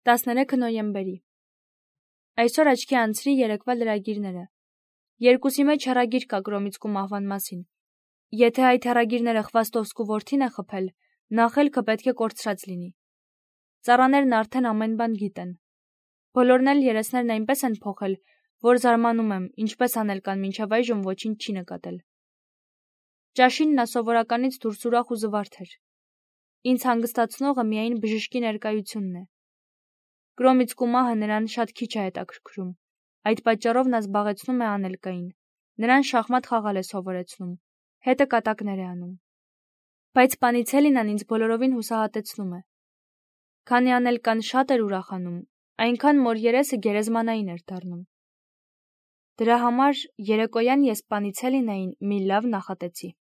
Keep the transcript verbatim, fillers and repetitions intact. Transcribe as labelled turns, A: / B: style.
A: տասներեքը նոյեմբերի։ Այսօր աչքի անցրի երեկվա լրագիրները։ Երկուսի մեջ հեռագիր կա Կրոմիցկու մահվան մասին։ Եթե այդ հեռագիրները Խվաստովսկու որդին է խփել, նախելքը պետք է կորցրած լինի։ Ծառաներն արդեն ամեն բան գիտեն։ Բոլորն էլ երեսներն այնպես են փոխել, որ զարմանում եմ, ինչպես անել կան մինչև այժմ ոչինչ չի նկատել։ Ճաշին նա սովորականից դուրս ուրախ ու զվարթ էր։ Ինձ հանգստացնողը միայն բժշկի ներկայությունն է։ Կրոմիցկու մահը նրան շատ քիչ է հետաքրքրում, այդ պատճառով նա զբաղեցնում է անելկային, նրան շախմատ խաղալ է սովորեցնում, հետը կատակներ է անում։ Բայց Պանիցելինան ինձ բոլորովին հուսահատեցնում է։ Քանի անելկան շատ էր ուրախանում, այնքան որ երեսը գերեզմանային էր դառնում։ Դրա համար երեկոյան ես Պանիցելինային մի լավ նախատեցի։